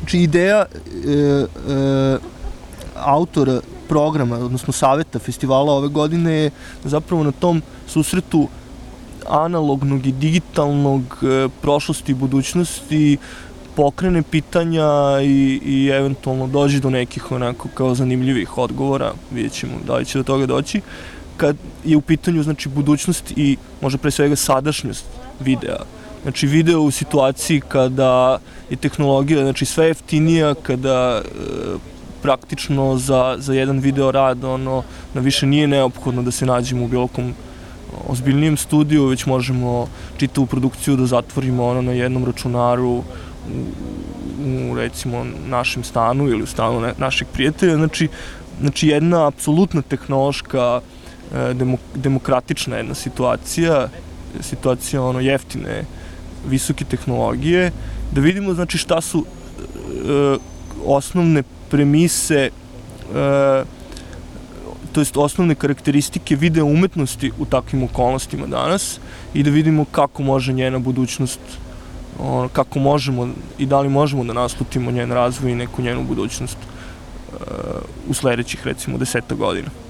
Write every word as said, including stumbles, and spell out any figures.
Znači, ideja e, e, autora programa, odnosno saveta festivala ove godine je zapravo na tom susretu analognog i digitalnog, e, prošlosti i budućnosti pokrene pitanja i, i eventualno dođe do nekih onako kao zanimljivih odgovora, vidjet ćemo da li će do toga doći, kad je u pitanju, znači, budućnost i možda pre svega sadašnjost videa. Znači, video u situaciji kada je tehnologija, znači, sve jeftinija, kada e, praktično za, za jedan video rad, ono, da više nije neophodno da se nađemo u bilo kom ozbiljnijem studiju, već možemo čitavu produkciju da zatvorimo ono na jednom računaru u, u recimo našem stanu ili u stanu ne, našeg prijatelja. Znači, znači jedna apsolutna tehnološka, e, demok, demokratična jedna situacija, situacija ono jeftine, visoke tehnologije, da vidimo, znači, šta su e, osnovne premise, e, to jest osnovne karakteristike video umetnosti u takvim okolnostima danas i da vidimo kako može njena budućnost, ono, kako možemo i da li možemo da naslutimo njen razvoj i neku njenu budućnost e, u sledećih, recimo, deseta godina.